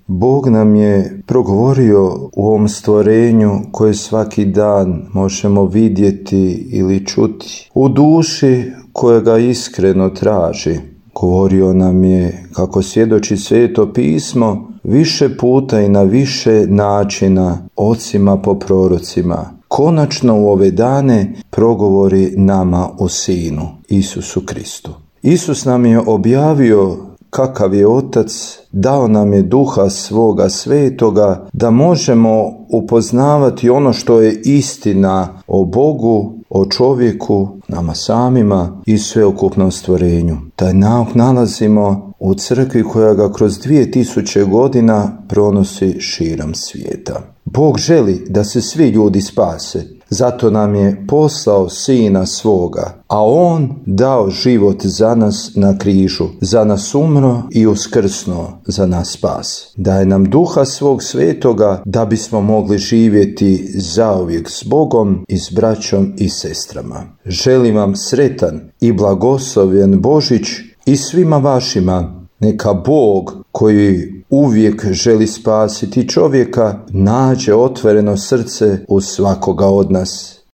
Bog nam je progovorio u ovom stvorenju koje svaki dan možemo vidjeti ili čuti. U duši koja ga iskreno traži. Govorio nam je, kako svjedoči Sveto pismo, više puta i na više načina ocima po prorocima. Konačno u ove dane progovori nama o Sinu, Isusu Kristu. Isus nam je objavio kakav je Otac, dao nam je Duha svoga svetoga da možemo upoznavati ono što je istina o Bogu, o čovjeku, nama samima i sveukupnom stvorenju. Taj nauk nalazimo u crkvi koja ga kroz 2000 godina pronosi širom svijeta. Bog želi da se svi ljudi spase, zato nam je poslao Sina svoga, a On dao život za nas na križu, za nas umro i uskrsnuo, za nas spas. Daje nam Duha svog svetoga da bismo mogli živjeti zauvijek s Bogom i s braćom i sestrama. Želim vam sretan i blagoslovljen Božić i svima vašima. Neka Bog, koji uvijek želi spasiti čovjeka, nađe otvoreno srce u svakoga od nas.